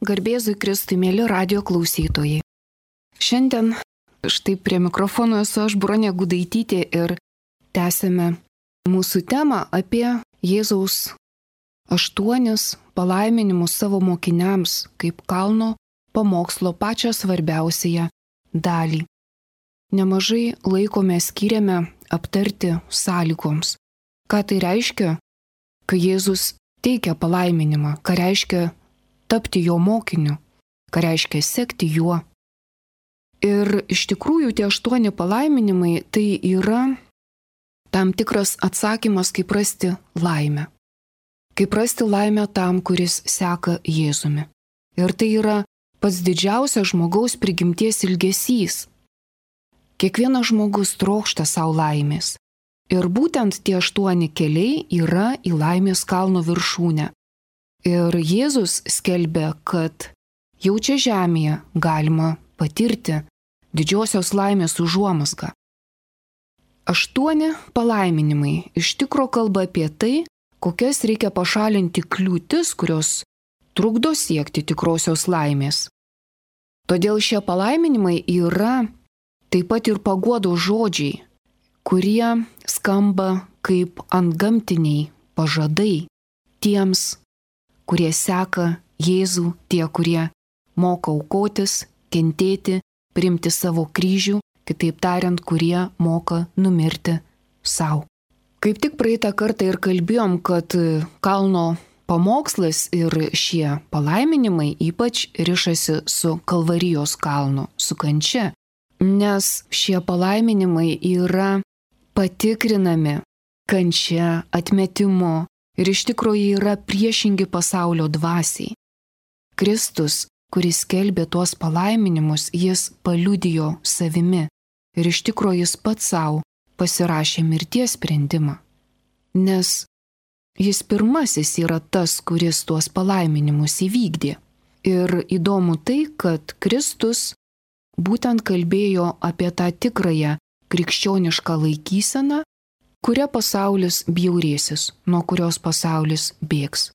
Garbėzui Kristui, mėly radio klausytojai. Šiandien štai prie mikrofono esu aš, Bronė Gudaitytė, ir tęsėme mūsų temą apie Jėzaus 8 palaiminimus savo mokiniams kaip kalno pamokslo pačią svarbiausiąją dalį. Nemažai laiko mes skiriame aptarti sąlygoms. Ką tai reiškia, kai Jėzus teikia palaiminimą, ką reiškia tapti jo mokiniu, ką reiškia sekti juo. Ir iš tikrųjų tie 8 palaiminimai tai yra tam tikras atsakymas, kaip rasti laimę. Kaip rasti laimę tam, kuris seka Jėzumi. Ir tai yra pats didžiausias žmogaus prigimties ilgesys. Kiekvienas žmogus trokšta savo laimės. Ir būtent tie 8 keliai yra į laimės kalno viršūnę. Ir Jėzus skelbia, kad jau čia žemėje galima patirti didžiosios laimės užuomazgą. 8 palaiminimai iš tikro kalba apie tai, kokias reikia pašalinti kliūtis, kurios trukdo siekti tikrosios laimės. Todėl šie palaiminimai yra taip pat ir paguodos žodžiai, kurie skamba kaip antgamtiniai pažadai tiems, kurie seka Jėzų, tie, kurie moka aukotis, kentėti, priimti savo kryžių, kitaip tariant, kurie moka numirti savo. Kaip tik praeitą kartą ir kalbėjom, kad kalno pamokslas ir šie palaiminimai ypač rišasi su Kalvarijos kalnu, su kančia, nes šie palaiminimai yra patikrinami kančia, atmetimu ir iš tikrųjų yra priešingi pasaulio dvasiai. Kristus, kuris skelbė tuos palaiminimus, jis paliudijo savimi ir iš tikrųjų jis pats savo pasirašė mirties sprendimą, nes jis pirmasis yra tas, kuris tuos palaiminimus įvykdė. Ir įdomu tai, kad Kristus būtent kalbėjo apie tą tikrąją krikščionišką laikyseną, kuria pasaulis bjaurėsis, nuo kurios pasaulis bėgs.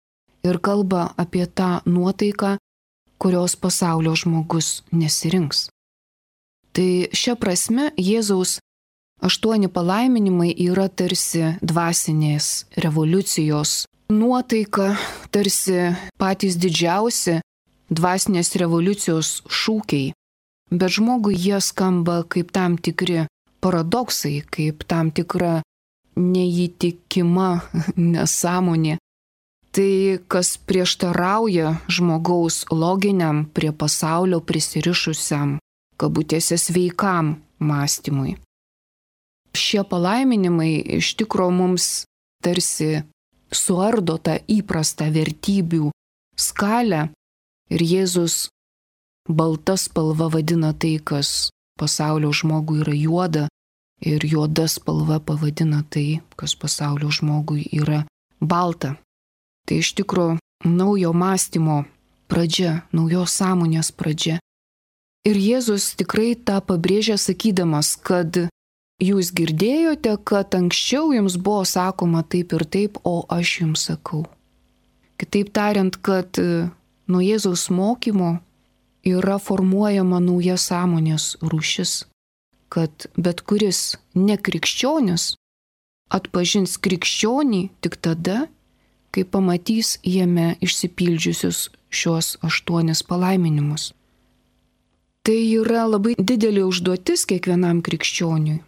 Ir kalba apie tą nuotaiką, kurios pasaulio žmogus nesirinks. Tai šia prasme Jėzaus 8 palaiminimai yra tarsi dvasinės revoliucijos nuotaika, tarsi patys didžiausi dvasinės revoliucijos šūkiai. Bet žmogui jie skamba kaip tam tikri paradoksai, kaip tam tikra neįtikima nesąmonė. Tai, kas prieštarauja žmogaus loginiam prie pasaulio prisirišusiam, kabutėse sveikam mąstymui. Šie palaiminimai iš tikro mums tarsi suardo tą įprastą vertybių skalę ir Jėzus balta spalva vadina tai, kas pasaulio žmogui yra juoda, ir juoda spalva pavadina tai, kas pasaulio žmogui yra balta. Tai iš tikro naujo mąstymo pradžia, naujos sąmonės pradžia. Ir Jėzus tikrai tą pabrėžia sakydamas, kad jūs girdėjote, kad anksčiau jums buvo sakoma taip ir taip, o aš jums sakau. Kitaip tariant, kad nuo Jėzaus mokymo yra formuojama nauja sąmonės rūšis, kad bet kuris nekrikščionis atpažins krikščionį tik tada, kai pamatys jame išsipildžiusius šios 8 palaiminimus. Tai yra labai didelė užduotis kiekvienam krikščioniui,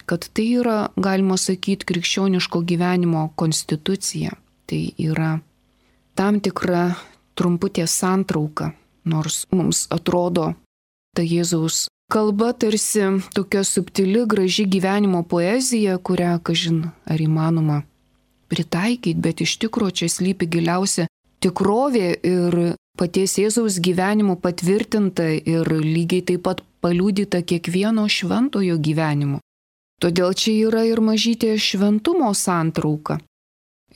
kad tai yra, galima sakyti, krikščioniško gyvenimo konstitucija. Tai yra tam tikra trumputė santrauka, nors mums atrodo ta Jėzaus kalba tarsi tokia subtili, graži gyvenimo poezija, kurią, kažin, ar įmanoma pritaikyti, bet iš tikro čia slypi giliausia tikrovė ir paties Jėzaus gyvenimo patvirtinta ir lygiai taip pat paliudyta kiekvieno šventojo gyvenimu. Todėl čia yra ir mažytė šventumo santrauka.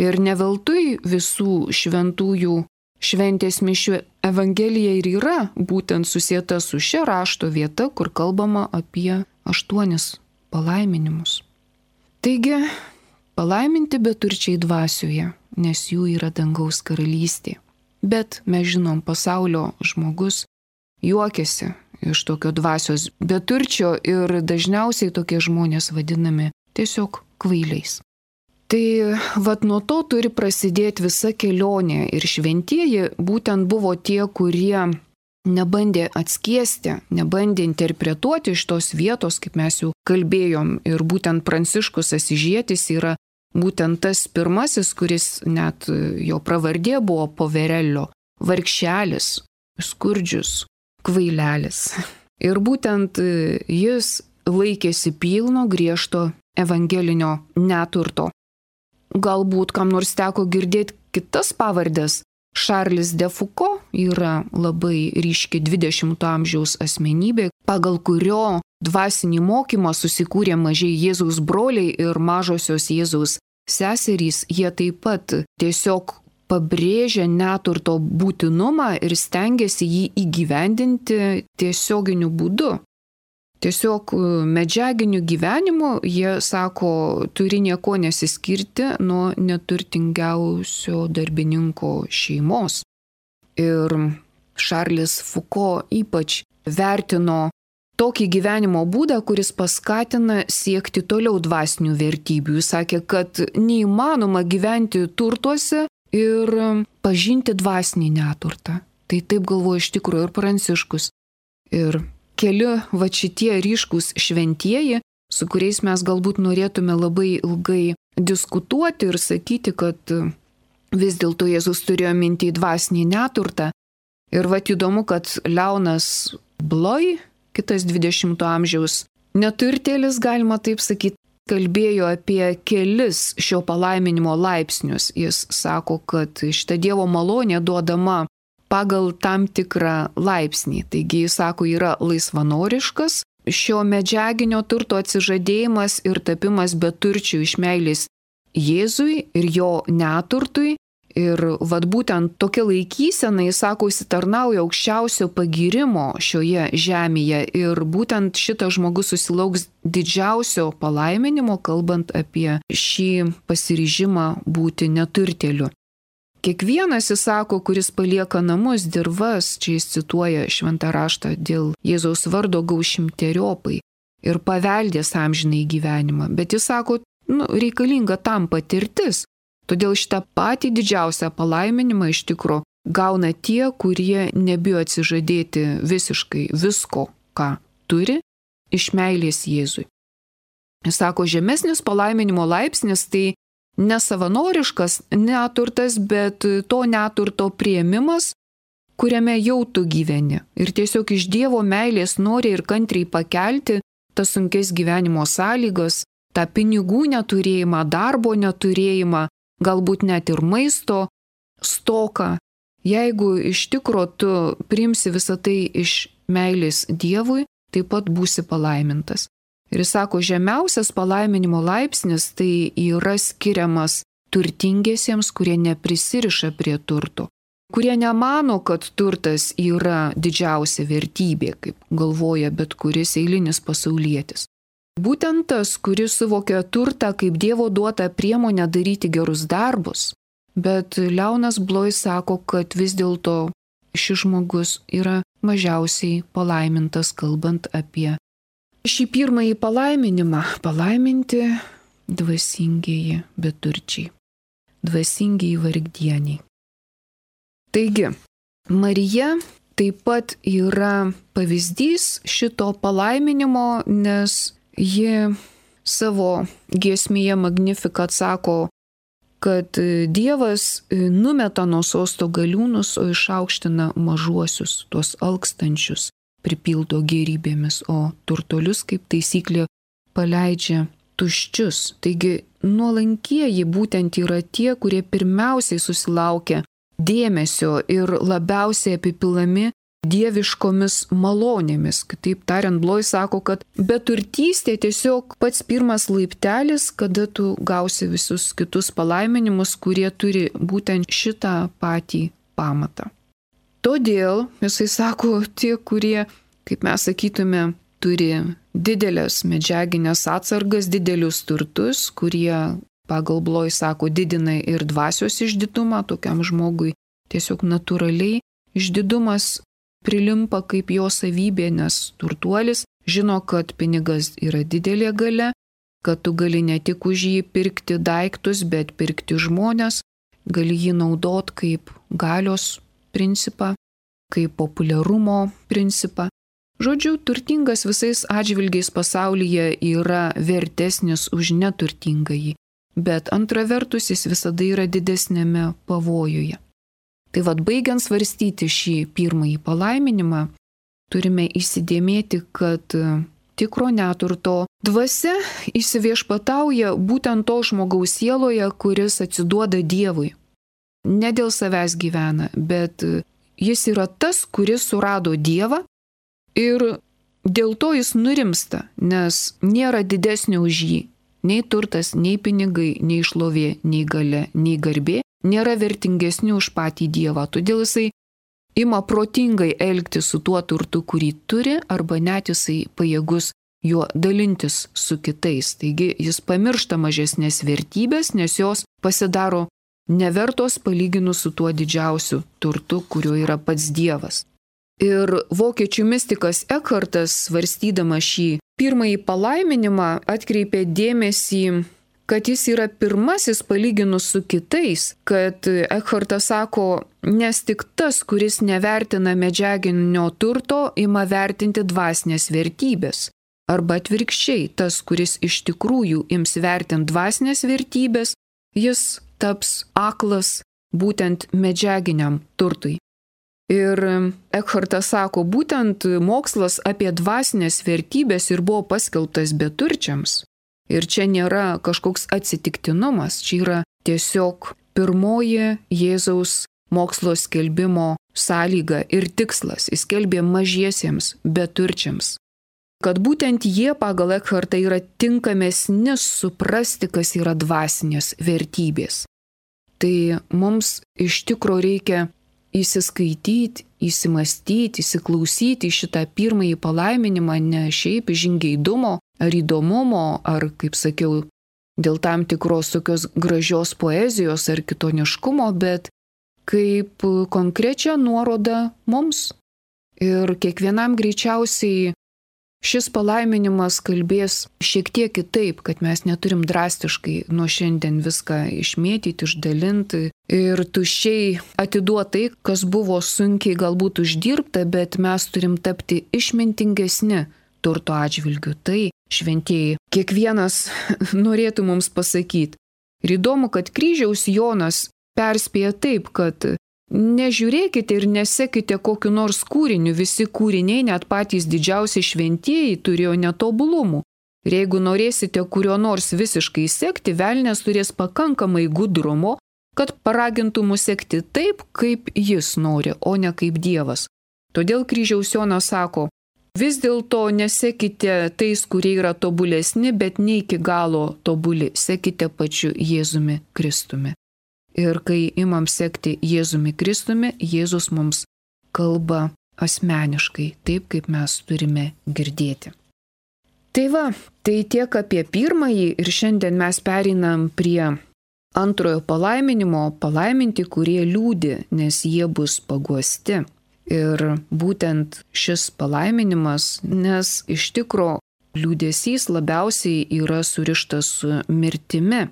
Ir ne veltui visų šventųjų šventės mišių evangelija ir yra būtent susieta su šia rašto vieta, kur kalbama apie 8 palaiminimus. Taigi, palaiminti beturčiai dvasioje, nes jų yra dangaus karalystė. Bet mes žinom, pasaulio žmogus juokiasi iš tokio dvasios beturčio ir dažniausiai tokie žmonės vadinami tiesiog kvailiais. Tai vat nuo to turi prasidėti visa kelionė ir šventieji būtent buvo tie, kurie nebandė atskiesti, nebandė interpretuoti iš tos vietos, kaip mes jau kalbėjom. Ir būtent Pranciškus Asyžietis yra būtent tas pirmasis, kuris net jo pravardė buvo Poverello, vargšelis, skurdžius, kvailelis. Ir būtent jis laikėsi pilno griežto evangelinio neturto. Galbūt kam nors teko girdėti kitas pavardės. Šarlis de Foucault yra labai ryški 20-ojo amžiaus asmenybė, pagal kurio dvasinį mokymą susikūrė mažieji Jėzaus broliai ir mažosios Jėzaus seserys. Jie taip pat tiesiog pabrėžia neturto būtinumą ir stengiasi jį įgyvendinti tiesioginiu būdu. Tiesiog medžiaginiu gyvenimu jie sako, turi nieko nesiskirti nuo neturtingiausio darbininko šeimos. Ir Šarlis Foucault ypač vertino tokį gyvenimo būdą, kuris paskatina siekti toliau dvasinių vertybių. Jis sakė, kad neįmanoma gyventi turtuose ir pažinti dvasinį neturtą. Tai taip galvoja iš tikrųjų ir Pranciškus. Ir keli va šitie ryškūs šventieji, su kuriais mes galbūt norėtume labai ilgai diskutuoti ir sakyti, kad vis dėlto Jėzus turėjo mintį dvasinį neturtą. Ir va įdomu, kad Leonas Bloy, kitas 20-ojo amžiaus neturtėlis, galima taip sakyti, kalbėjo apie kelis šio palaiminimo laipsnius. Jis sako, kad šita Dievo malonė duodama pagal tam tikrą laipsnį. Taigi, jis sako, yra laisvanoriškas, šio medžiaginio turto atsižadėjimas ir tapimas beturčių iš meilės Jėzui ir jo neturtui. Ir vad būtent tokia laikysena, jis sako, įsitarnauja aukščiausio pagyrimo šioje žemėje. Ir būtent šitas žmogus susilauks didžiausio palaiminimo, kalbant apie šį pasiryžimą būti neturtėliu. Kiekvienas, jis sako, kuris palieka namus, dirvas, čia jis cituoja šventą raštą, dėl Jėzaus vardo gaus šimteriopai ir paveldės amžinai gyvenimą. Bet jis sako, reikalinga tam patirtis. Todėl šitą patį didžiausią palaiminimą iš tikro gauna tie, kurie nebijo atsižadėti visiškai visko, ką turi, iš meilės Jėzui. Jis sako, žemesnis palaiminimo laipsnis tai nesavanoriškas neturtas, bet to neturto priėmimas, kuriame jau tu gyveni. Ir tiesiog iš Dievo meilės nori ir kantriai pakelti tas sunkes gyvenimo sąlygas, tą pinigų neturėjimą, darbo neturėjimą, galbūt net ir maisto stoką. Jeigu iš tikro tu priimsi visą tai iš meilės Dievui, taip pat būsi palaimintas. Ir jis sako, žemiausias palaiminimo laipsnis tai yra skiriamas turtingiesiems, kurie neprisiriša prie turto, kurie nemano, kad turtas yra didžiausia vertybė, kaip galvoja bet kuris eilinis pasaulietis. Būtent tas, kuris suvokia turtą kaip Dievo duotą priemonę daryti gerus darbus, bet Leonas Bloy sako, kad vis dėlto šis žmogus yra mažiausiai palaimintas, kalbant apie šį pirmąjį palaiminimą, palaiminti dvasingieji beturčiai, dvasingieji vargdieniai. Taigi, Marija taip pat yra pavyzdys šito palaiminimo, nes ji savo giesmėje Magnificat sako, kad Dievas numeta nuo sosto galiūnus, o išaukština mažuosius, tuos alkstančius, pripildo gėrybėmis, o turtuolius kaip taisyklė paleidžia tuščius. Taigi nuolankieji būtent yra tie, kurie pirmiausiai susilaukia dėmesio ir labiausiai apipilami dieviškomis malonėmis. Kitaip tariant, Bloy sako, kad beturtystė tiesiog pats pirmas laiptelis, kada tu gausi visus kitus palaiminimus, kurie turi būtent šitą patį pamatą. Todėl, jisai sako, tie, kurie, kaip mes sakytume, turi didelės medžiaginės atsargas, didelius turtus, kurie, pagal Bloy sako, didina ir dvasios išditumą, tokiam žmogui tiesiog natūraliai išdidumas prilimpa kaip jo savybė, nes turtuolis žino, kad pinigas yra didelė galia, kad tu gali ne tik už jį pirkti daiktus, bet pirkti žmonės, gali jį naudot kaip galios principą, kaip populiarumo principą. Žodžiu, turtingas visais atžvilgiais pasaulyje yra vertesnis už neturtingąjį, bet antra vertus jis visada yra didesnėme pavojuje. Tai vad, baigiant svarstyti šį pirmąjį palaiminimą, turime įsidėmėti, kad tikro neturto dvasia įsiviešpatauja būtent to žmogaus sieloje, kuris atsiduoda Dievui. Ne dėl savęs gyvena, bet jis yra tas, kuris surado Dievą ir dėl to jis nurimsta, nes nėra didesnio už jį. Nei turtas, nei pinigai, nei šlovė, nei galia, nei garbė nėra vertingesni už patį Dievą. Todėl jisai ima protingai elgtis su tuo turtu, kurį turi, arba net jisai pajėgus juo dalintis su kitais. Taigi jis pamiršta mažesnės vertybės, nes jos pasidaro nevertos palyginus su tuo didžiausiu turtu, kuriuo yra pats Dievas. Ir vokiečių mistikas Ekhartas, svarstydamas šį pirmąjį palaiminimą, atkreipė dėmesį, kad jis yra pirmasis palyginus su kitais, kad Ekhartas sako, nes tik tas, kuris nevertina medžiaginio turto, ima vertinti dvasinės vertybės. Arba atvirkščiai, tas, kuris iš tikrųjų ims vertinti dvasinės vertybės, jis taps aklas būtent medžiaginiam turtui. Ir Ekhartas sako, būtent mokslas apie dvasinės vertybės ir buvo paskelbtas beturčiams. Ir čia nėra kažkoks atsitiktinumas, čia yra tiesiog pirmoji Jėzaus mokslo skelbimo sąlyga ir tikslas. Jis skelbė mažiesiems beturčiams. Kad būtent jie pagal Ekhartą yra tinkamesni suprasti, kas yra dvasinės vertybės. Tai mums iš tikro reikia įsiskaityti, įsimastyti, įsiklausyti šitą pirmąjį palaiminimą ne šiaip iš žingeidumo ar įdomumo, ar, kaip sakiau, dėl tam tikros tokios gražios poezijos ar kitoniškumo, bet kaip konkrečią nuorodą mums. Ir kiekvienam greičiausiai šis palaiminimas kalbės šiek tiek kitaip, kad mes neturim drastiškai nuo šiandien viską išmėtyti, išdalinti ir tuščiai atiduoti tai, kas buvo sunkiai galbūt uždirbta, bet mes turim tapti išmintingesni turto atžvilgiu. Tai šventieji kiekvienas norėtų mums pasakyti. Ir įdomu, kad kryžiaus Jonas perspėja taip, kad nežiūrėkite ir nesekite kokiu nors kūriniu, visi kūriniai, net patys didžiausi šventieji, turėjo netobulumų. Ir jeigu norėsite kurio nors visiškai sekti, velnias turės pakankamai gudrumo, kad paragintų mus sekti taip, kaip jis nori, o ne kaip Dievas. Todėl kryžiaus Jonas sako, vis dėlto nesekite tais, kurie yra tobulesni, bet ne iki galo tobuli, sekite pačiu Jėzumi Kristumi. Ir kai imam sekti Jėzumi Kristumi, Jėzus mums kalba asmeniškai, taip kaip mes turime girdėti. Tai va, tai tiek apie pirmąjį ir šiandien mes pereinam prie antrojo palaiminimo, palaiminti, kurie liūdi, nes jie bus paguosti. Ir būtent šis palaiminimas, nes iš tikro liūdesys labiausiai yra surištas su mirtimi.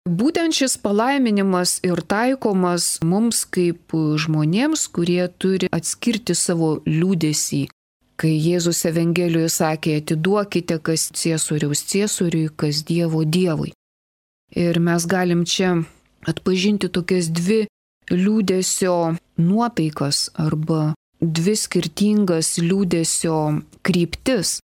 Būtent šis palaiminimas ir taikomas mums kaip žmonėms, kurie turi atskirti savo liūdesį. Kai Jėzus Evangelijoje sakė, atiduokite kas ciesoriaus ciesoriui, kas Dievo Dievui. Ir mes galim čia atpažinti tokias dvi liūdesio nuotaikas arba dvi skirtingas liūdesio kryptis.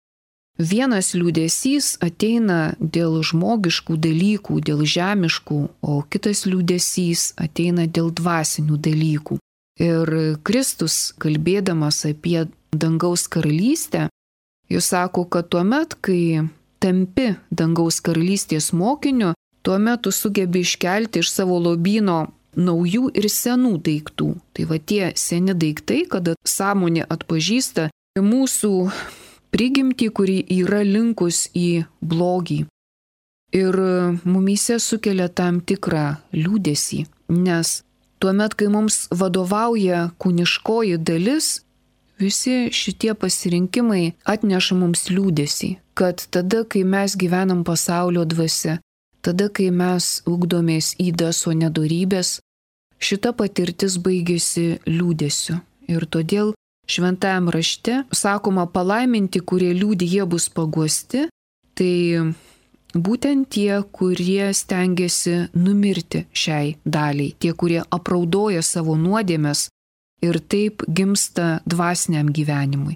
Vienas liūdesys ateina dėl žmogiškų dalykų, dėl žemiškų, o kitas liūdesys ateina dėl dvasinių dalykų. Ir Kristus, kalbėdamas apie dangaus karalystę, jis sako, kad tuomet, kai tampi dangaus karalystės mokiniu, tuomet tu sugebi iškelti iš savo lobyno naujų ir senų daiktų. Tai va tie seni daiktai, kada sąmonė atpažįsta mūsų prigimtį, kuri yra linkus į blogį. Ir mumyse sukelia tam tikrą liūdesį, nes tuomet, kai mums vadovauja kūniškoji dalis, visi šitie pasirinkimai atneša mums liūdesį, kad tada, kai mes gyvenam pasaulio dvasia, tada, kai mes ugdomės ydas, o nedorybės, šita patirtis baigėsi liūdesiu. Ir todėl šventajam rašte sakoma palaiminti, kurie liūdi, jie bus paguosti, tai būtent tie, kurie stengiasi numirti šiai daliai, tie, kurie apraudoja savo nuodėmes ir taip gimsta dvasiniam gyvenimui.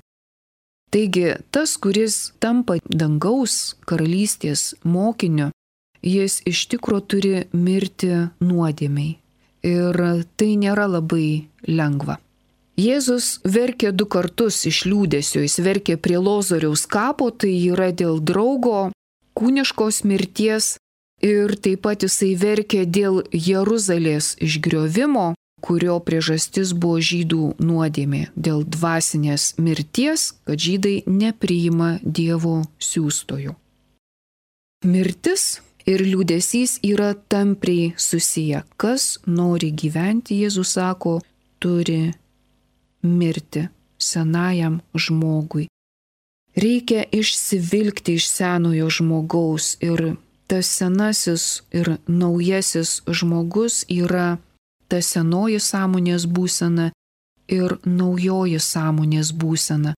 Taigi, tas, kuris tampa dangaus karalystės mokiniu, jis iš tikro turi mirti nuodėmiai. Ir tai nėra labai lengva. Jėzus verkė 2 kartus iš liūdesio, jis verkė prie Lozoriaus kapo, tai yra dėl draugo kūniškos mirties, ir taip pat jisai verkė dėl Jeruzalės išgriovimo, kurio priežastis buvo žydų nuodėmė, dėl dvasinės mirties, kad žydai nepriima Dievo siųstojų. Mirtis ir liūdesys yra tampriai susiję. Kas nori gyventi, Jėzus sako, turi mirti senajam žmogui. Reikia išsivilkti iš senojo žmogaus, ir tas senasis ir naujasis žmogus yra ta senoji sąmonės būsena ir naujoji sąmonės būsena.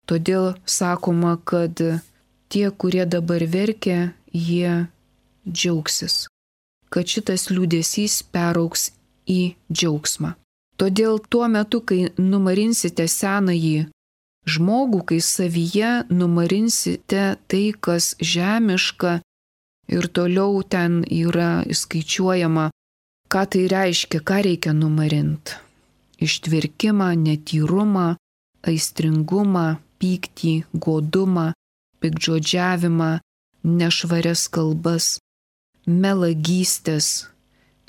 Todėl sakoma, kad tie, kurie dabar verkia, jie džiaugsis, kad šitas liūdesys peraugs į džiaugsmą. Todėl tuo metu, kai numarinsite senąjį žmogų, kai savyje numarinsite tai, kas žemiška, ir toliau ten yra įskaičiuojama, ką tai reiškia, ką reikia numarinti. Ištvirkimą, netyrumą, aistringumą, pyktį, godumą, piktžodžiavimą, nešvarias kalbas, melagystės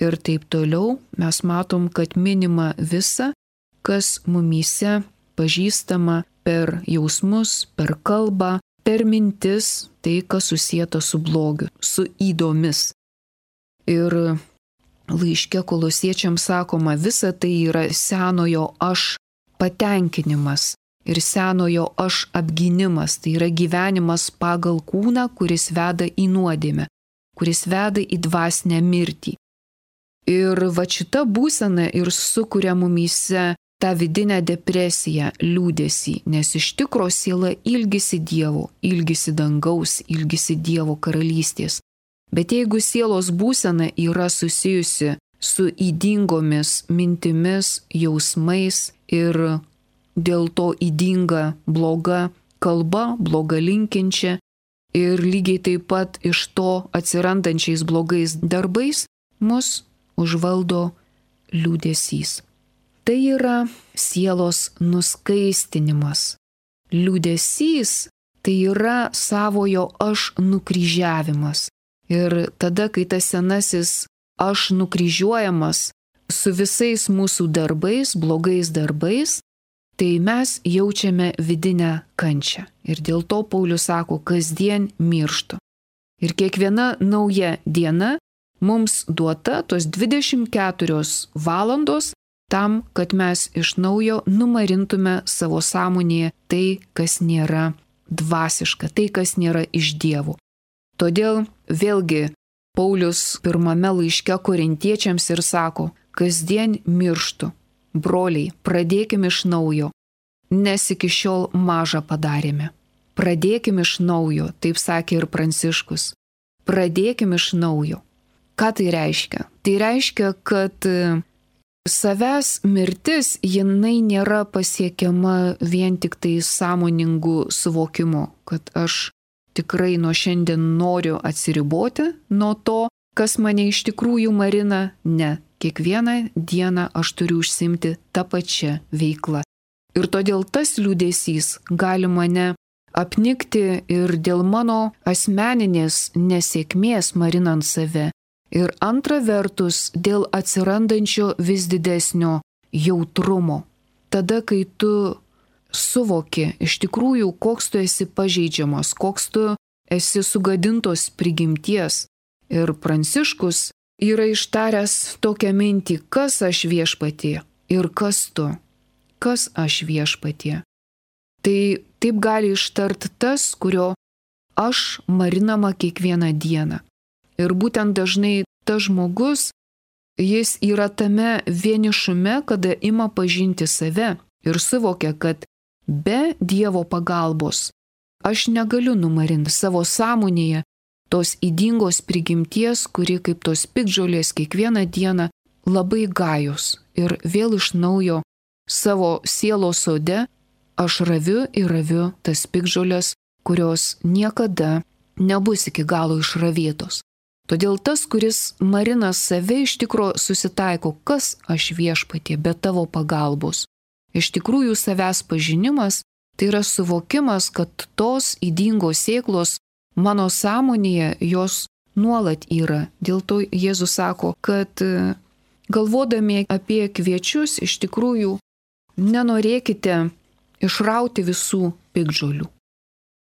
ir taip toliau. Mes matom, kad minima visa, kas mumyse pažįstama per jausmus, per kalbą, per mintis, tai, kas susieta su blogiu, su ydomis. Ir laiške Kolosiečiams sakoma, visa tai yra senojo aš patenkinimas ir senojo aš apgynimas, tai yra gyvenimas pagal kūną, kuris veda į nuodėmę, kuris veda į dvasinę mirtį. Ir va šita būsena ir sukuria mumyse tą vidinę depresiją, liūdesį, nes iš tikro siela ilgisi Dievo, ilgisi dangaus, ilgisi Dievo karalystės. Bet jeigu sielos būsena yra susijusi su ydingomis mintimis, jausmais ir dėl to ydinga bloga kalba, bloga linkinčia ir lygiai taip pat iš to atsirandančiais blogais darbais, mus užvaldo liūdesys. Tai yra sielos nuskaistinimas. Liūdesys tai yra savojo aš nukryžiavimas. Ir tada, kai tas senasis aš nukryžiuojamas su visais mūsų darbais, blogais darbais, tai mes jaučiame vidinę kančią. Ir dėl to Paulius sako, kasdien mirštu. Ir kiekviena nauja diena mums duota tos 24 valandos tam, kad mes iš naujo numarintume savo sąmonėje tai, kas nėra dvasiška, tai, kas nėra iš Dievo. Todėl vėlgi Paulius pirmame laiške Korintiečiams ir sako, kasdien mirštu, broliai, pradėkime iš naujo, nes iki šiol maža padarėme. Pradėkime iš naujo, taip sakė ir Pranciškus. Pradėkime iš naujo. Ką tai reiškia? Tai reiškia, kad savęs mirtis, jinai nėra pasiekiama vien tik tai sąmoningu suvokimu, kad aš tikrai nuo šiandien noriu atsiriboti nuo to, kas mane iš tikrųjų marina. Ne, kiekvieną dieną aš turiu užsiimti tą pačią veiklą. Ir todėl tas liūdesys gali mane apnikti ir dėl mano asmeninės nesėkmės marinant save. Ir antra vertus, dėl atsirandančio vis didesnio jautrumo. Tada, kai tu suvoki iš tikrųjų, koks tu esi pažeidžiamas, koks tu esi sugadintos prigimties. Ir Pranciškus yra ištaręs tokią mintį, kas aš viešpatie ir kas tu, kas aš viešpatie. Tai taip gali ištart tas, kurio aš marinama kiekvieną dieną. Ir būtent dažnai tas žmogus, jis yra tame vienišume, kada ima pažinti save ir suvokia, kad be Dievo pagalbos aš negaliu numarinti savo sąmonėje tos ydingos prigimties, kuri kaip tos piktžolės kiekvieną dieną labai gajus. Ir vėl iš naujo savo sielos sode aš raviu ir raviu tas piktžolės, kurios niekada nebus iki galo išravėtos. Todėl tas, kuris marina save, iš tikro susitaiko, kas aš viešpatie be tavo pagalbos. Iš tikrųjų savęs pažinimas tai yra suvokimas, kad tos ydingos sėklos mano sąmonėje jos nuolat yra. Dėl to Jėzus sako, kad galvodami apie kviečius iš tikrųjų nenorėkite išrauti visų piktžolių.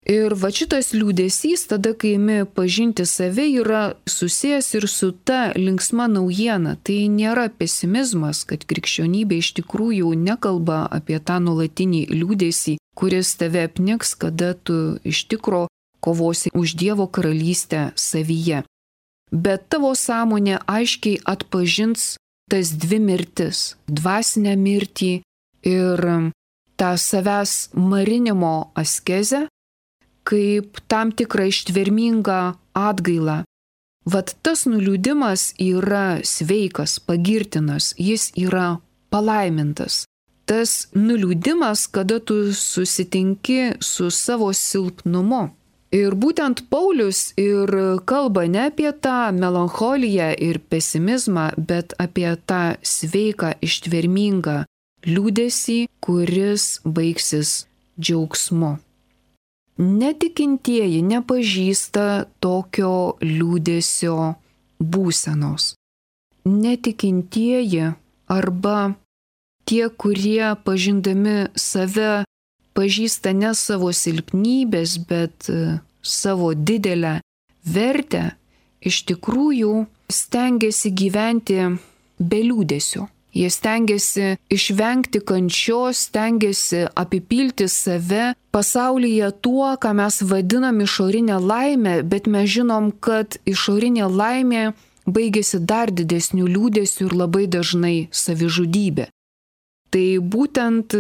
Ir va šitas liūdesys, tada kai imi pažinti save, yra susijęs ir su ta linksma naujiena. Tai nėra pesimizmas, kad krikščionybė iš tikrųjų nekalba apie tą nuolatinį liūdesį, kuris tave apniks, kada tu iš tikro kovosi už Dievo karalystę savyje. Bet tavo sąmonė aiškiai atpažins tas dvi mirtis - dvasinę mirtį ir tą savęs marinimo askezę, kaip tam tikrą ištvermingą atgailą. Vat tas nuliūdimas yra sveikas, pagirtinas, jis yra palaimintas. Tas nuliūdimas, kada tu susitinki su savo silpnumu. Ir būtent Paulius ir kalba ne apie tą melancholiją ir pesimizmą, bet apie tą sveiką, ištvermingą liūdesį, kuris baigsis džiaugsmu. Netikintieji nepažįsta tokio liūdesio būsenos. Netikintieji arba tie, kurie pažindami save pažįsta ne savo silpnybės, bet savo didelę vertę, iš tikrųjų stengiasi gyventi be liūdesio. Jie stengiasi išvengti kančios, stengiasi apipilti save pasaulyje tuo, ką mes vadinam išorinę laimę, bet mes žinom, kad išorinė laimė baigėsi dar didesnių liūdesių ir labai dažnai savižudybė. Tai būtent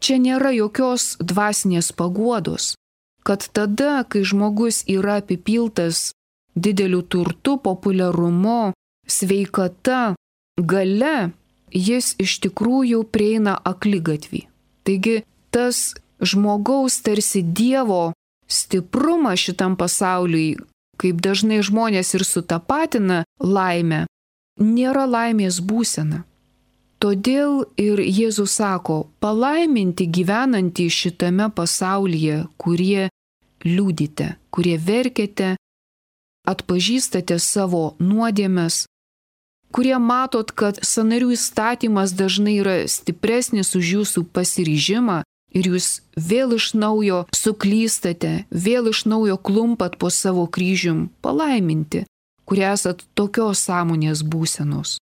čia nėra jokios dvasinės paguodos, kad tada, kai žmogus yra apipiltas dideliu turtu, populiarumu, sveikata, galia, jis iš tikrųjų prieina akligatvį. Taigi tas žmogaus tarsi Dievo stiprumas šitam pasauliui, kaip dažnai žmonės ir sutapatina laimę, nėra laimės būsena. Todėl ir Jėzus sako, palaiminti gyvenantį šitame pasaulyje, kurie liūdite, kurie verkiate, atpažįstate savo nuodėmes, kurie matot, kad sąnarių įstatymas dažnai yra stipresnis už jūsų pasiryžimą ir jūs vėl iš naujo suklystate, vėl iš naujo klumpat po savo kryžium, palaiminti, kurie esat tokios sąmonės būsenos.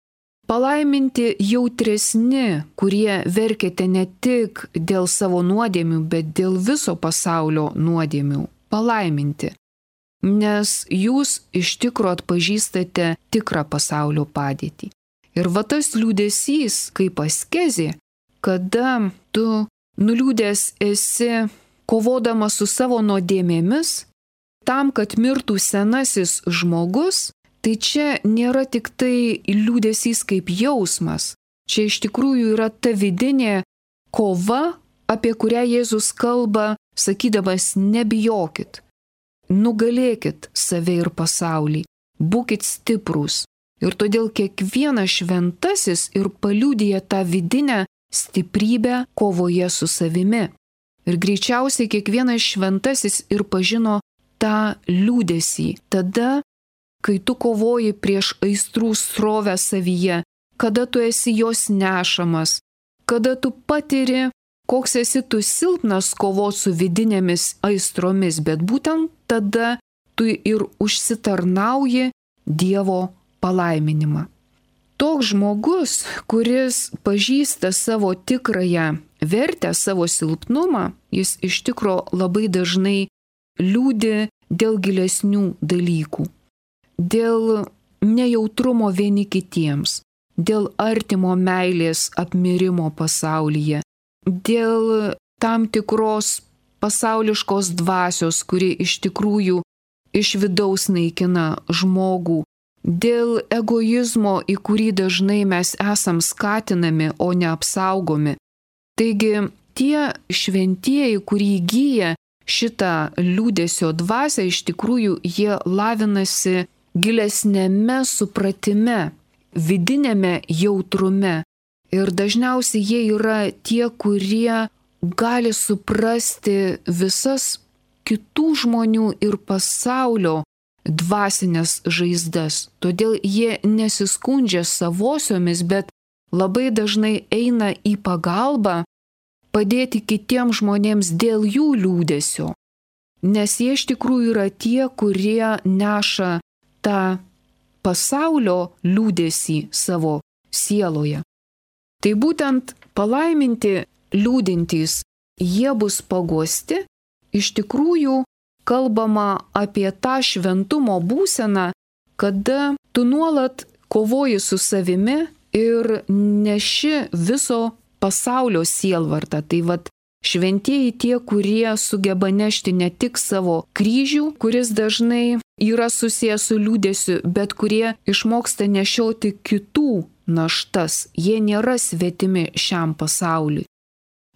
Palaiminti jautresni, kurie verkiate ne tik dėl savo nuodėmių, bet dėl viso pasaulio nuodėmių. Palaiminti. Nes jūs iš tikro atpažįstate tikrą pasaulio padėtį. Ir va tas liūdesys kaip askezė, kada tu nuliūdęs esi kovodamas su savo nuodėmėmis, tam, kad mirtų senasis žmogus, tai čia nėra tik tai liūdesys kaip jausmas. Čia iš tikrųjų yra ta vidinė kova, apie kurią Jėzus kalba, sakydamas nebijokit. Nugalėkit save ir pasaulį, būkit stiprūs. Ir todėl kiekvienas šventasis ir paliudija tą vidinę stiprybę kovoje su savimi. Ir greičiausiai kiekvienas šventasis ir pažino tą liūdesį. Tada, kai tu kovoji prieš aistrų srovę savyje, kada tu esi jos nešamas, kada tu patiri, koks esi tu silpnas kovoti su vidinėmis aistromis, bet būtent tada tu ir užsitarnauji Dievo palaiminimą. Toks žmogus, kuris pažįsta savo tikrąją vertę, savo silpnumą, jis iš tikro labai dažnai liūdi dėl gilesnių dalykų, dėl nejautrumo vieni kitiems, dėl artimo meilės apmirimo pasaulyje, dėl tam tikros pasauliškos dvasios, kuri iš tikrųjų iš vidaus naikina žmogų, dėl egoizmo, į kurį dažnai mes esam skatinami, o ne apsaugomi. Taigi tie šventieji, kurie įgyja šitą liūdesio dvasią, iš tikrųjų jie lavinasi gilesnėme supratime, vidinėme jautrume. Ir dažniausiai jie yra tie, kurie gali suprasti visas kitų žmonių ir pasaulio dvasinės žaizdas. Todėl jie nesiskundžia savosiomis, bet labai dažnai eina į pagalbą padėti kitiems žmonėms dėl jų liūdesio. Nes jie iš tikrųjų yra tie, kurie neša tą pasaulio liūdesį savo sieloje. Tai būtent palaiminti liūdintys, jie bus paguosti. Iš tikrųjų kalbama apie tą šventumo būseną, kada tu nuolat kovoji su savimi ir neši viso pasaulio sielvartą. Tai vat šventieji tie, kurie sugeba nešti ne tik savo kryžių, kuris dažnai yra susijęs su liūdesiu, bet kurie išmoksta nešioti kitų naštas. Jie nėra svetimi šiam pasauliui.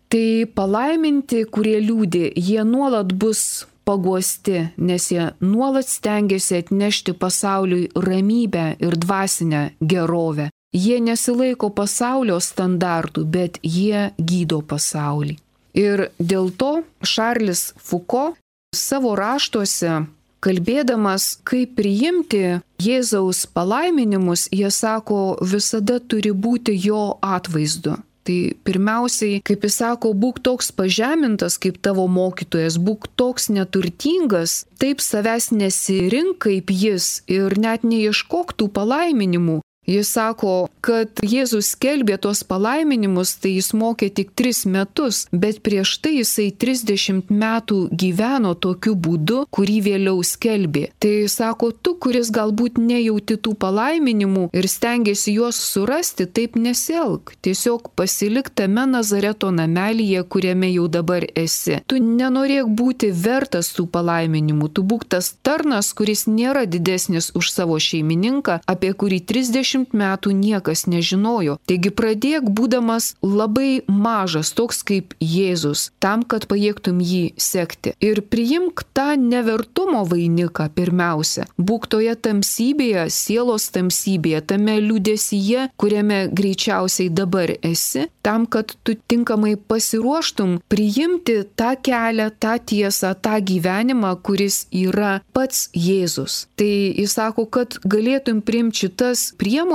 Tai palaiminti, kurie liūdi, jie nuolat bus paguosti, nes jie nuolat stengiasi atnešti pasauliui ramybę ir dvasinę gerovę. Jie nesilaiko pasaulio standartų, bet jie gydo pasaulį. Ir dėl to Šarlis Fuko savo raštuose, kalbėdamas, kaip priimti Jėzaus palaiminimus, jie sako, visada turi būti jo atvaizdu. Tai pirmiausiai, kaip jis sako, būk toks pažemintas kaip tavo mokytojas, būk toks neturtingas, taip savęs nesirink kaip jis ir net neieškok tų palaiminimų. Jis sako, kad Jėzus skelbė tos palaiminimus, tai jis mokė tik 3 metus, bet prieš tai jisai 30 metų gyveno tokiu būdu, kurį vėliau skelbė. Tai sako, tu, kuris galbūt nejauti tų palaiminimų ir stengiasi juos surasti, taip nesielk. Tiesiog pasilik tame Nazareto namelyje, kuriame jau dabar esi. Tu nenorėk būti vertas tų palaiminimų, tu būk tas tarnas, kuris nėra didesnis už savo šeimininką, apie kurį 30 metų niekas nežinojo. Taigi pradėk būdamas labai mažas, toks kaip Jėzus, tam, kad pajėgtum jį sekti. Ir priimk tą nevertumo vainiką pirmiausia. Būk toje tamsybėje, sielos tamsybėje, tame liūdesyje, kuriame greičiausiai dabar esi, tam, kad tu tinkamai pasiruoštum priimti tą kelią, tą tiesą, tą gyvenimą, kuris yra pats Jėzus. Tai jis sako, kad galėtum priimti šitas priemonės,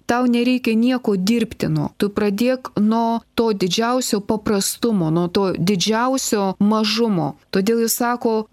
tau nereikia nieko dirbtino. Tu pradėk nuo to didžiausio paprastumo, nuo to didžiausio mažumo. Todėl jis sako,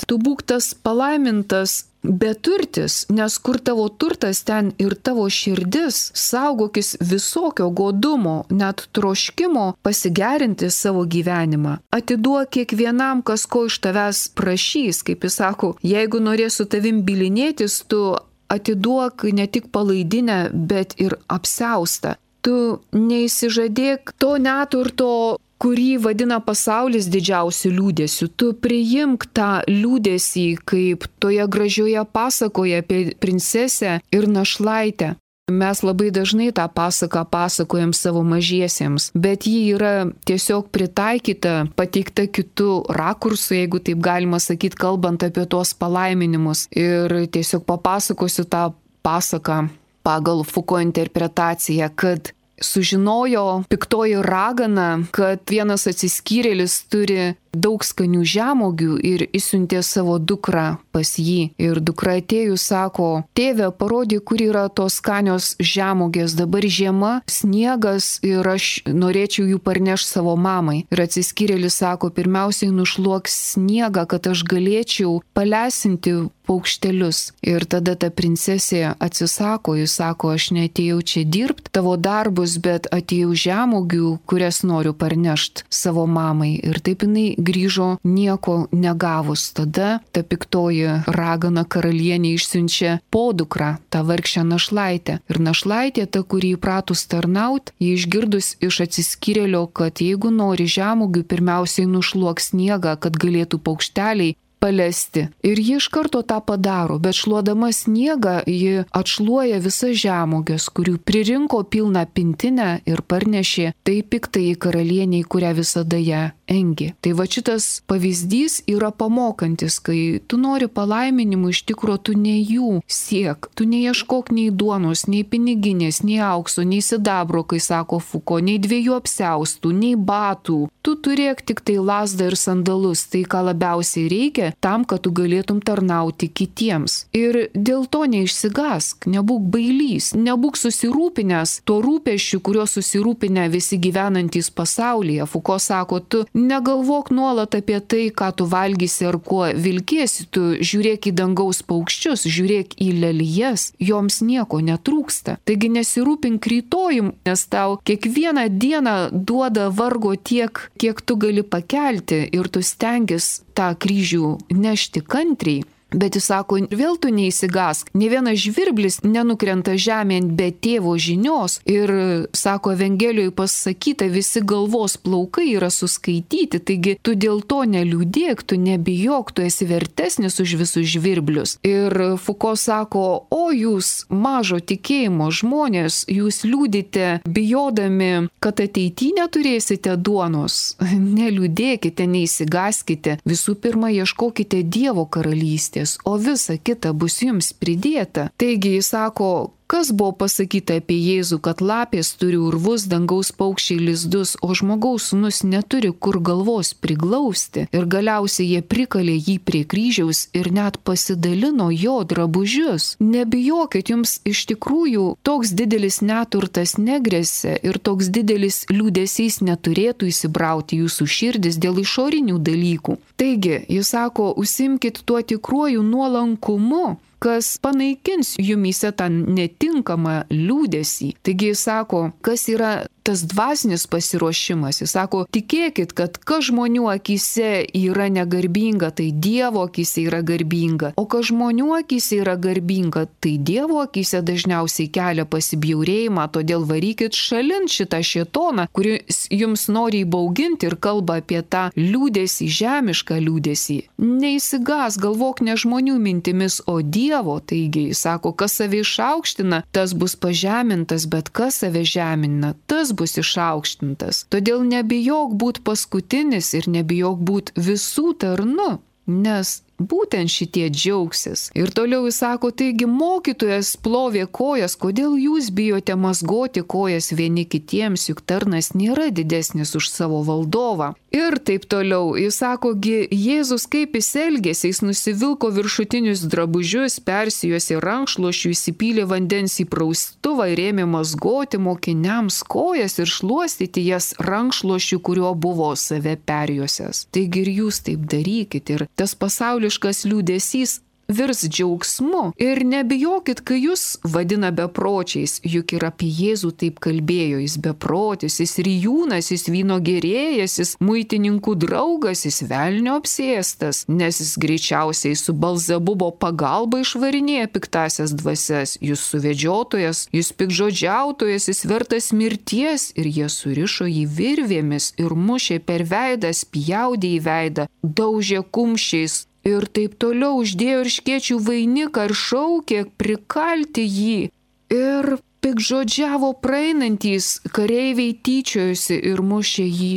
tu būk tas palaimintas beturtis, nes kur tavo turtas, ten ir tavo širdis. Saugokis visokio godumo, net troškimo pasigerinti savo gyvenimą. Atiduok kiekvienam, kas ko iš tavęs prašys. Kaip jis sako, jeigu norės su tavim bylinėtis, tu atiduok ne tik palaidinę, bet ir apsiaustą. Tu neįsižadėk to neturto, kurį vadina pasaulis didžiausiu liūdėsiu. Tu priimk tą liūdėsį, kaip toje gražioje pasakoje apie princesę ir našlaitę. Mes labai dažnai tą pasaką pasakojam savo mažiesiems, bet ji yra tiesiog pritaikyta, pateikta kitų rakursų, jeigu taip galima sakyti, kalbant apie tuos palaiminimus. Ir tiesiog papasakosiu tą pasaką pagal Fuko interpretaciją, kad sužinojo piktoji ragana, kad vienas atsiskyrėlis turi daug skanių žemuogių ir išsiuntė savo dukrą pas jį. Ir dukra atėjus sako, tėve, parodyk, kur yra tos skanios žemuogės, dabar žiema, sniegas ir aš norėčiau jų parnešti savo mamai. Ir atsiskyrėlis sako, pirmiausiai nušluok sniegą, kad aš galėčiau palesinti paukštelius. Ir tada ta princesė atsisako, jis sako, aš neatėjau čia dirbti tavo darbus, bet atėjau žemuogių, kurias noriu parnešti savo mamai. Ir taip jinai grįžo nieko negavus. Tada ta piktoji ragana karalienė išsiunčia podukrą, tą vargšę našlaitę. Ir našlaitė, ta, kuri įpratus tarnaut, jį išgirdus iš atsiskyrėlio, kad jeigu nori žemuogių, pirmiausiai nušluok sniegą, kad galėtų paukšteliai palesti. Ir ji iš karto tą padaro, bet šluodama sniegą, ji atšluoja visas žemuogės, kurių pririnko pilną pintinę ir parnešė tai piktai karalieniai, kurią visada ją engi. Tai va šitas pavyzdys yra pamokantis, kai tu nori palaiminimų, iš tikro tu ne jų siek, tu neieškok nei duonos, nei piniginės, nei aukso, nei sidabro, kai sako Fuko, nei 2 apsiaustų, nei batų. Tu turėk tik tai lazdą ir sandalus, tai ką labiausiai reikia, tam, kad tu galėtum tarnauti kitiems. Ir dėl to neišsigask, nebūk bailys, nebūk susirūpinęs tuo rūpesčiu, kuriuo susirūpinę visi gyvenantys pasaulyje. Fuko sako, tu negalvok nuolat apie tai, ką tu valgysi ar kuo vilkėsi, tu žiūrėk į dangaus paukščius, žiūrėk į lelijas, joms nieko netrūksta. Taigi nesirūpink rytojum, nes tau kiekvieną dieną duoda vargo tiek, kiek tu gali pakelti ir tu stengis tą kryžių nešti kantriai. Bet jis sako, vėl tu neįsigask, ne vienas žvirblis nenukrenta žemėn be tėvo žinios. Ir sako, Evangelijoje pasakyta, visi galvos plaukai yra suskaityti, taigi tu dėl to neliūdėk, tu nebijok, tu esi vertesnis už visus žvirblius. Ir Fuko sako, o jūs mažo tikėjimo žmonės, jūs liūdite bijodami, kad ateityje neturėsite duonos. Neliūdėkite, neįsigaskite, visų pirma ieškokite Dievo karalystės, o visa kita bus jums pridėta. Taigi jis sako, kas buvo pasakyta apie Jėzų, kad lapės turi urvus, dangaus paukščiai lizdus, o žmogaus sūnus neturi kur galvos priglausti. Ir galiausiai jie prikalė jį prie kryžiaus ir net pasidalino jo drabužius. Nebijokit, jums iš tikrųjų toks didelis neturtas negresia ir toks didelis liūdesys neturėtų įsibrauti jūsų širdis dėl išorinių dalykų. Taigi, jis sako, užsimkit tuo tikruoju nuolankumu, kas panaikins jumyse tą netinkamą liūdesį. Taigi jis sako, kas yra tas dvasinis pasiruošimas. Jis sako, tikėkit, kad kas žmonių akyse yra negarbinga, tai Dievo akyse yra garbinga. O kas žmonių akyse yra garbinga, tai Dievo akyse dažniausiai kelia pasibjaurėjimą, todėl varykit šalin šitą šėtoną, kuris jums nori įbauginti ir kalba apie tą liūdesį, žemišką liūdesį. Neįsigas, galvok ne žmonių mintimis, o Dievo. Taigi, jis sako, kas save išaukština, tas bus pažemintas, bet kas save žemina, tas bus išaukštintas. Todėl nebijok būti paskutinis ir nebijok būti visų tarnu, nes būtent šitie džiaugsis. Ir toliau jis sako, taigi mokytojas plovė kojas, kodėl jūs bijote mazgoti kojas vieni kitiems, juk tarnas nėra didesnis už savo valdovą. Ir taip toliau. Jis sako, Jėzus kaip jis elgėsi, jis nusivilko viršutinius drabužius, persijuosė rankšluošių, įsipylė vandens į praustuvą ir ėmė mazgoti mokiniams kojas ir šluostyti jas rankšluošių, kuriuo buvo save perjuosęs. Taigi ir jūs taip darykit. Ir tas pasauliškas liūdesys virs džiaugsmu. Ir nebijokit, kai jūs vadina bepročiais, juk ir apie Jėzų taip kalbėjo, jis beprotis, jis rijūnas, jis vyno gerėjas, jis muitininkų draugas, jis velnio apsėstas, nes jis greičiausiai su Belzebubo pagalba išvarinėja piktasias dvasias, jis suvedžiotojas, jis pikžodžiautojas, jis vertas mirties, ir jie surišo jį virvėmis ir mušė per veidą, spjaudė į veidą, daužė kumščiais. Ir taip toliau uždėjo erškėčių vainiką ir šaukė prikalti jį. Ir pikžodžiavo praeinantys kareiviai tyčiojusi ir mušė jį.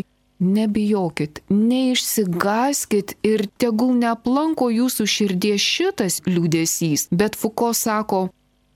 Nebijokit, neišsigaskit ir tegul neaplanko jūsų širdies šitas liūdesys. Bet Fuko sako,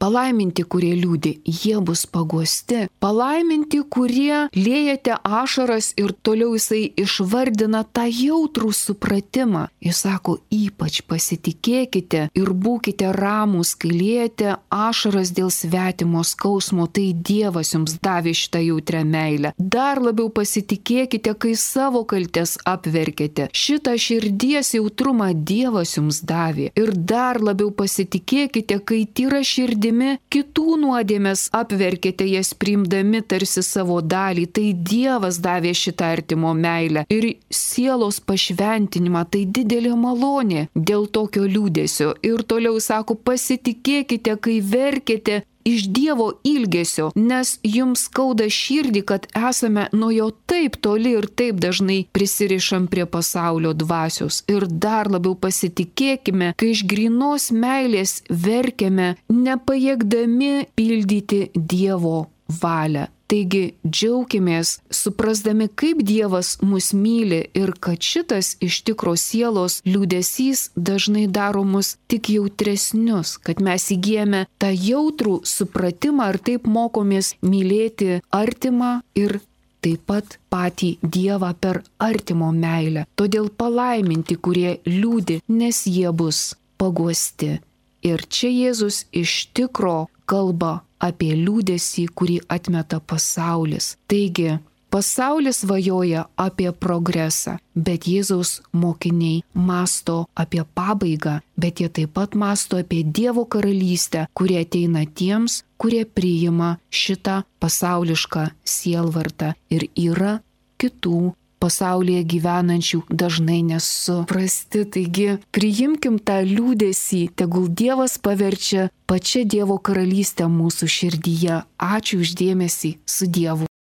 Palaiminti, kurie liūdi, jie bus paguosti. Palaiminti, kurie liejate ašaras, ir toliau jisai išvardina tą jautrų supratimą. Jis sako, ypač pasitikėkite ir būkite ramūs, kai liejate ašaras dėl svetimo skausmo, tai Dievas jums davė šitą jautrią meilę. Dar labiau pasitikėkite, kai savo kaltes apverkėte. Šitą širdies jautrumą Dievas jums davė. Ir dar labiau pasitikėkite, kai tyra širdimi kitų nuodėmes apverkėte, jas priimdami tarsi savo dalį. Tai Dievas davė šitą artimo meilę ir sielos pašventinimą. Tai didelė malonė dėl tokio liūdesio. Ir toliau sako, pasitikėkite, kai verkėte iš Dievo ilgesio, nes jums skauda širdį, kad esame nuo jo taip toli ir taip dažnai prisirišam prie pasaulio dvasios. Ir dar labiau pasitikėkime, kai iš grynos meilės verkiame, nepajėgdami pildyti Dievo valią. Taigi džiaukimės, suprasdami, kaip Dievas mus myli ir kad šitas iš tikro sielos liūdesys dažnai daro mus tik jautresnius, kad mes įgyjame tą jautrų supratimą ir taip mokomės mylėti artimą ir taip pat patį Dievą per artimo meilę. Todėl palaiminti, kurie liūdi, nes jie bus paguosti. Ir čia Jėzus iš tikro kalba apie liūdesį, kurį atmeta pasaulis. Taigi, pasaulis svajoja apie progresą, bet Jėzaus mokiniai masto apie pabaigą, bet jie taip pat masto apie Dievo karalystę, kuri ateina tiems, kurie priima šitą pasaulišką sielvartą. Ir yra kitų pasaulyje gyvenančių dažnai nesuprasti. Taigi priimkim tą liūdesį, tegul Dievas paverčia pačią Dievo karalystę mūsų širdyje. Ačiū už dėmesį, su Dievu.